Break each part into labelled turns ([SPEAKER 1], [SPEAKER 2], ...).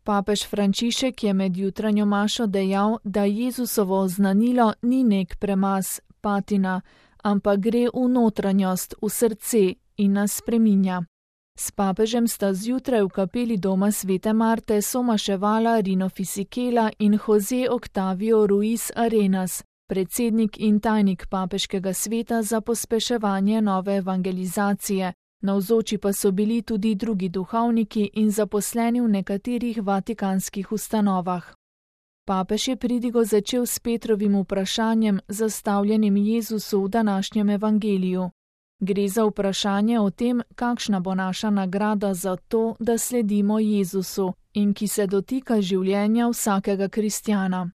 [SPEAKER 1] Papež Frančišek je med jutranjo mašo dejal, da Jezusovo oznanilo ni nek premaz, patina, ampak gre v notranjost, v srce in nas spreminja. S papežem sta zjutraj v kapeli doma Svete Marte somaševala Rino Fisichella in José Octavio Ruiz Arenas, predsednik in tajnik papeškega sveta za pospeševanje nove evangelizacije. Navzoči pa so bili tudi drugi duhovniki in zaposleni v nekaterih vatikanskih ustanovah. Papež je pridigo začel s Petrovim vprašanjem, zastavljenim Jezusu v današnjem evangeliju. Gre za vprašanje o tem, kakšna bo naša nagrada za to, da sledimo Jezusu in ki se dotika življenja vsakega kristjana.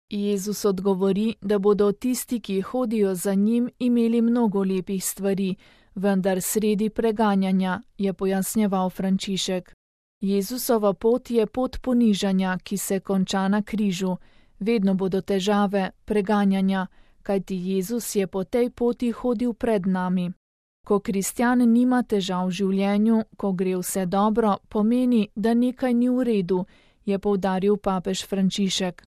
[SPEAKER 1] Jezus odgovori, da bodo tisti, ki hodijo za njim, imeli mnogo lepih stvari, vendar sredi preganjanja, je pojasnjeval Frančišek. Jezusova pot je pot ponižanja, ki se konča na križu. Vedno bodo težave, preganjanja, kajti Jezus je po tej poti hodil pred nami. Ko kristjan nima težav v življenju, ko gre vse dobro, pomeni, da nekaj ni v redu, je poudaril papež Frančišek.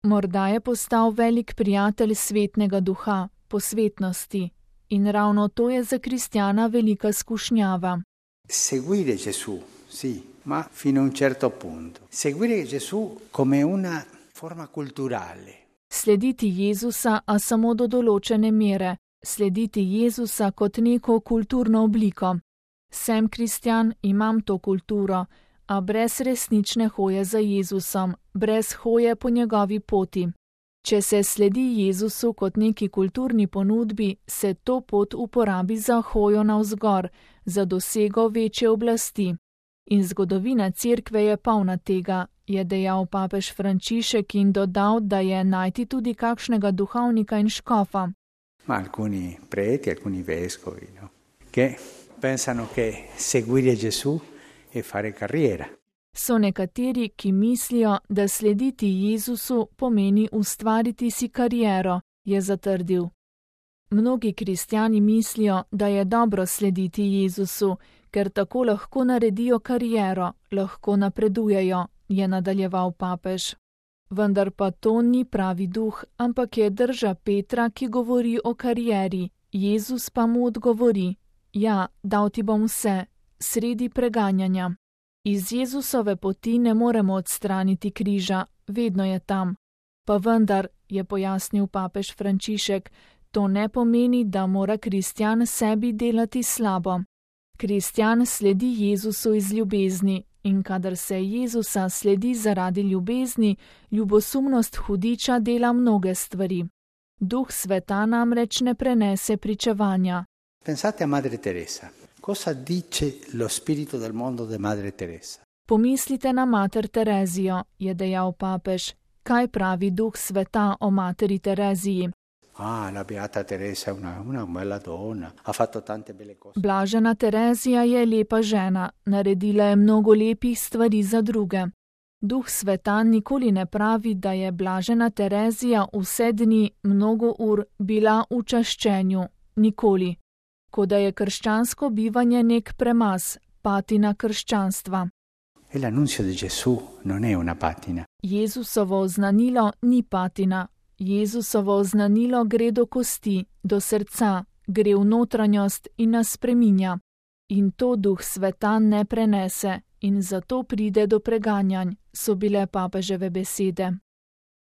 [SPEAKER 1] Morda je postal velik prijatelj svetnega duha, posvetnosti. In ravno to je za kristjana velika skušnjava.
[SPEAKER 2] Seguire Gesù, sì, ma fino a un certo punto. Seguire Gesù come una forma culturale.
[SPEAKER 1] Slediti Jezusa, a samo do določene mere. Slediti Jezusa kot neko kulturno obliko. Sem kristjan, imam to kulturo, a brez resnične hoje za Jezusom, brez hoje po njegovi poti. Če se sledi Jezusu kot neki kulturni ponudbi, se to pot uporabi za hojo navzgor, za dosego večje oblasti. In zgodovina cerkve je polna tega, je dejal papež Frančišek in dodal, da je najti tudi kakšnega duhovnika in škofa.
[SPEAKER 2] Ma alcuni preti, alcuni vescovi, no? Che pensano che seguire Gesù è fare carriera.
[SPEAKER 1] So nekateri, ki mislijo, da slediti Jezusu pomeni ustvariti si kariero, je zatrdil. Mnogi kristjani mislijo, da je dobro slediti Jezusu, ker tako lahko naredijo kariero, lahko napredujejo, je nadaljeval papež. Vendar pa to ni pravi duh, ampak je drža Petra, ki govori o karieri. Jezus pa mu odgovori: ja, dal ti bom vse, sredi preganjanja. Iz Jezusove poti ne moremo odstraniti križa, vedno je tam. Pa vendar, je pojasnil papež Frančišek, to ne pomeni, da mora kristjan sebi delati slabo. Kristjan sledi Jezusu iz ljubezni in kadar se Jezusa sledi zaradi ljubezni, ljubosumnost hudiča dela mnoge stvari. Duh sveta namreč ne prenese pričevanja.
[SPEAKER 2] Pensate a Madre Teresa. Cosa dice lo spirito del mondo de Madre Teresa?
[SPEAKER 1] Pomislite na mater Terezijo, je dejal papež. Kaj pravi duh sveta o materi Tereziji?
[SPEAKER 2] La beata Teresa è una bella donna, ha fatto tante belle cose.
[SPEAKER 1] Blažena Terezija je lepa žena, naredila je mnogo lepih stvari za druge. Duh sveta nikoli ne pravi, da je blažena Terezija vse dni, mnogo ur bila v čaščenju, nikoli. Kot da je krščansko bivanje nek premaz, patina krščanstva.
[SPEAKER 2] E l'annunzio di Gesù non è una patina.
[SPEAKER 1] Jezusovo oznanilo ni patina. Jezusovo oznanilo gre do kosti, do srca, gre v notranjost in nas spreminja. In to duh sveta ne prenese in zato pride do preganjanj, so bile papeževe besede.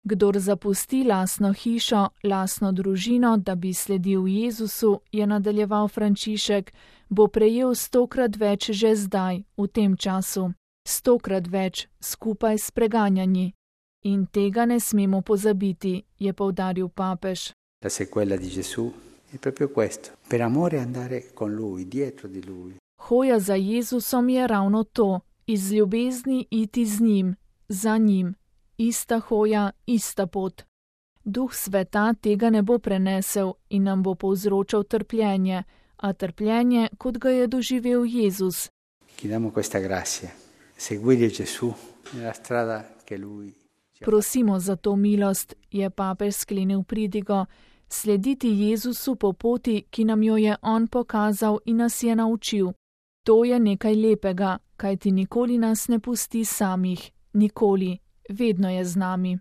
[SPEAKER 1] Kdor zapusti lastno hišo, lastno družino, da bi sledil Jezusu, je nadaljeval Frančišek, bo prejel 100-krat več že zdaj, v tem času. 100-krat več, skupaj s preganjanji. In tega ne smemo pozabiti, je poudaril papež.
[SPEAKER 2] La sequela di Gesù è proprio questo, per amore andare con lui, dietro di lui.
[SPEAKER 1] Hoja za Jezusom je ravno to, iz ljubezni iti z njim, za njim. Ista hoja, ista pot. Duh sveta tega ne bo prenesel in nam bo povzročal trpljenje, a trpljenje, kot ga je doživel Jezus.
[SPEAKER 2] Chiediamo questa grazia, seguire Gesù nella strada che lui.
[SPEAKER 1] Prosimo za to milost, je papež sklenil pridigo, slediti Jezusu po poti, ki nam jo je on pokazal in nas je naučil. To je nekaj lepega, kajti nikoli nas ne pusti samih, nikoli, vedno je z nami.